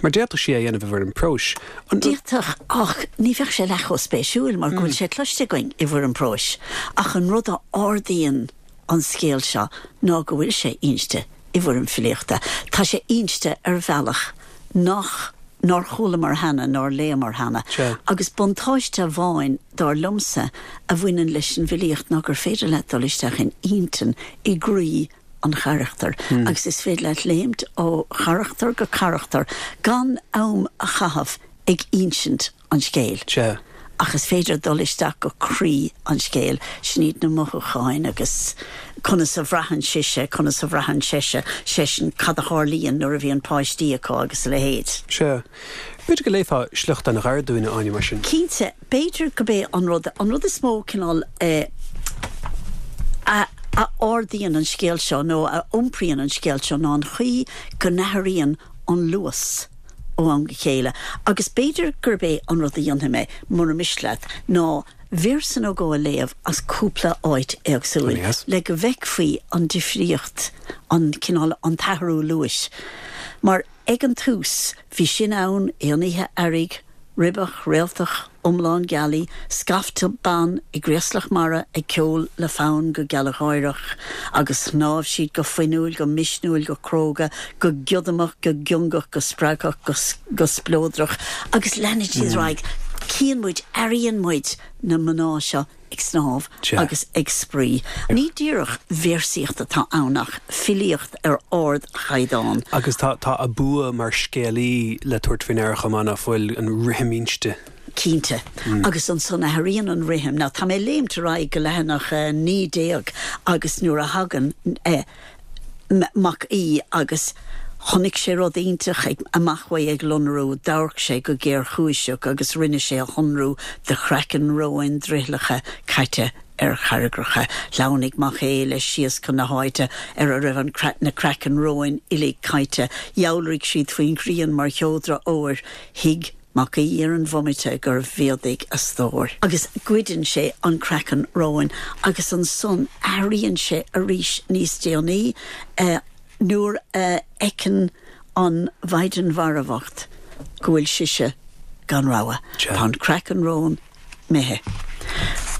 Mar d'fhéadfadh sí é a dhéanamh i bhfoirm próis. An. D'fhéadfadh, ach ní bheadh sé leath chomh spéisiúil mar go bhfuil sé cloiste againn i bhfoirm próis. Ach an rud a ardaíonn an scéal seo ná go bhfuil sé inste i bhfoirm filíochta. Tá sé inste ar bhealach nach nár chualamar cheana, nár léamar cheana. Agus buntáiste amháin, dar liomsa, a bhaineann leis an bhfilíocht ná gur féidir leat dul isteach in intinn, i gcroí an charachtair agus is féidir leat léimt ó charachtar go carachtar gan am a chaitheamh ag insint an scéil. Sea. Ach is féidir dul isteach go croí an scéil, sin iad na mothúcháin agus conas a bhraitheann sise, conas a bhraitheann seise, seisean, cad a tharlaíonn nuair a bhíonn páistí acu agus a leithéid. Sea. B'fhéidir go léifeá sliocht an-ghairid dúinn, a Áine, mar sin. Cinnte. B'fhéidir gurb é an rud, an rud is mó cineál a a ardaíonn an scéal seo nó a iompraíonn an scéal seo ná an chaoi go n-athraíonn an luas ó am go chéile. Agus b'fhéidir gurb é an rud a dhéanfaidh mé, mura miste leat, ná véarsa nó dhó a léamh as cúpla áit éagsúil le go bhfeicfí an difríocht, an cineál, an t-athrú luais. Mar ag an tús, bhí sin ann aon oíche earraigh, ribeach, réaltach, iomlán gealaí, scaifte ban i gcraoslach mara ag ceol le fonn go gealgháireach, agus shnámh siad go fuinniúil, go misniúil, go cróga, go giodamach, go giongach, go spreagthach, go go spleodrach, agus leanann siad ar aghaidh. Cíonn muid, airíonn muid na mná seo ag snámh agus ag spraoi. Ní díreach véarsaíocht atá ann ach filíocht ar ardchaighdeán. Agus tá tá a bua mar scéalaí le tabhairt faoi ndeara chomh maith, ná fuil, an rithim inste. Cinnte. Agus ansan athraíonn an rithim. Now tá mé ag léimt ar aghaidh go leathanach 19 agus nuair a thagann Mac Aoidh agus chonaic sé rud iontach ag amach uaidh ag lonrú, d'amharc sé go géarchúiseach agus rinne sé a shonrú de chraiceann róin drithleacha caite ar charraigreacha. Shleamhnaigh Mac Aodha leis síos chun na háite ar a raibh an na craicinn róin uilig caite. Dhealraigh siad faoin ghrian mar sheodra óir. Thuig. Mac Aoidh ar an bhomaite gur mhéadaigh a stór. Agus goideann sé an craiceann róin agus ansan athraíonn sé arís níos déanaí nuair a fheiceann an Mhaighdean Mhara bhocht go bhfuil sise gan rogha. Tá an craiceann róin imithe.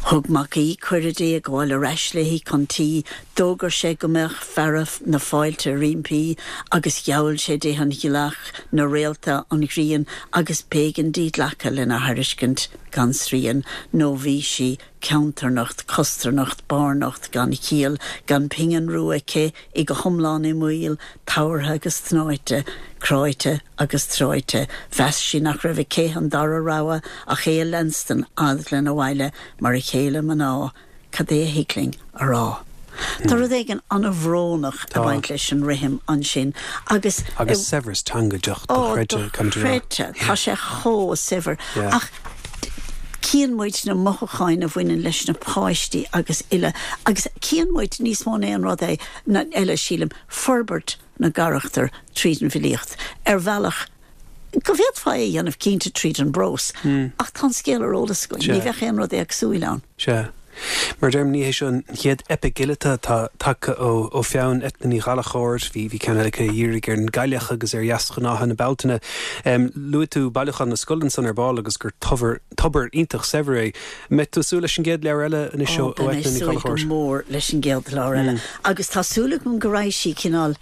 Thug Mac Aoidh cuireadh di a ghabháil ar ais léi chun tí, d'fhógair sé go mbeadh fearadh na fáilte roimpi agus gheall sé di an ghealach, na réalta, an ghrian agus b'éigean di glacadh lena thairiscint gan srian nó bhí sí ceantarnocht, costarnocht, barrnocht, gan chiall, gan pingin rua aici, í go hiomlán i mbaol, tabhartha agus tnáite, cráite agus tráite. Mheas sí nach raibh aici an dara rogha ach é a leanstan fhad lena bhaile mar a chéile mná, cad é a thig linn a rá? Tá rud éigin an-bhrónach ag baint leis an rithim ansin agus. Agus saibhreas teanga dochreidte, caithfidh mé a rá. Dochreidte. Tá sé chomh saibhir. Ach cíonn muid na mothúcháin a bhaineann leis na páistí agus uile agus cíonn muid níos mó ná aon rud eile, sílim, forbairt na gcarachtar tríd an bhfilíocht, ar bhealach go bhféadfá é a dhéanamh cinnte tríd an bprós, ach tá an scéal ar eolas againn, ní bheadh aon rud éagsúil ann. Sea. Mar a deirim, ní hé seo an chéad eipic fhileata atá tagtha ó pheann Eithne Ní Ghallchóir. Bhí ceann eile aici a dhírigh ar an gcailleach agus ar dheasghnátha na Bealtaine. Luaigh tú Bailiúchán na Scol ansan ar ball agus gur tobar iontach saibhir é. Mbeidh tú ag súil leis an gcéad leabhar eile anois ó Eithne Ní Ghallchóir? Beidh mé ag súil go mór leis an gcéad leabhar eile agus tá súil agam go raghaidh sí cineál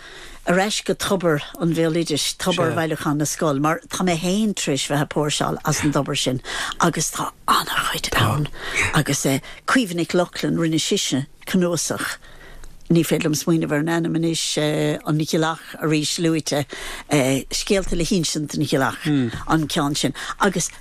ar ais go tobar an bhéaloidis, tobar Bhailiúchán na Scol, mar tá mé féin tar éis bheith ag póirseáil as an dtobar sin agus tá an-chuid ann. Agus Caoimhe Nic Lochlainn, rinne sise cnuasach, ní féidir liom smaoineamh ar an ainm anois, An Ghealach arís luaite, Scéalta le hInsint don Ghealach, an ceann sin. Agus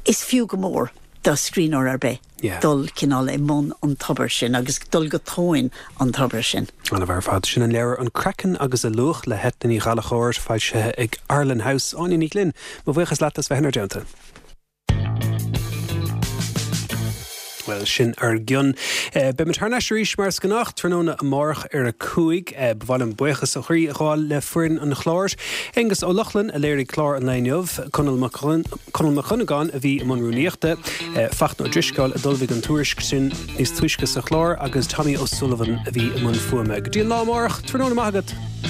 is fiú go mór do scríbhneoir ar bith dul cineál i mbun an tobair sin agus dul go tóin an tobair sin. An-mhaith ar fad. Sin an leabhar An Craiceann agus a Luach le hEithne Ní Ghallchóir, foilsithe ag Arlen House. Áine Ní Ghlinn, mo bhuíochas leat as bheith inár dteannta. Bhuel, sin ár gcionn. Beimid thar n-ais arís mar is gnách tráthnóna amárach ar a 5. Ba mhaith liom buíochas ó chroí a ghabháil le foireann an chláir. Aengus Ó Lochlainn a léirigh clár an lae inniu, Conall Mac Conall Mac Dhonnagáin a bhí i mbun rúnaíochta, Fachtna Ó Drisceoil a d'ullmhaigh an tuairisc sin níos túisce sa chlár agus Tommy O'Sullivan a bhí i mbun fuaime. Go dtí an lá amárach, tráthnóna maith agat!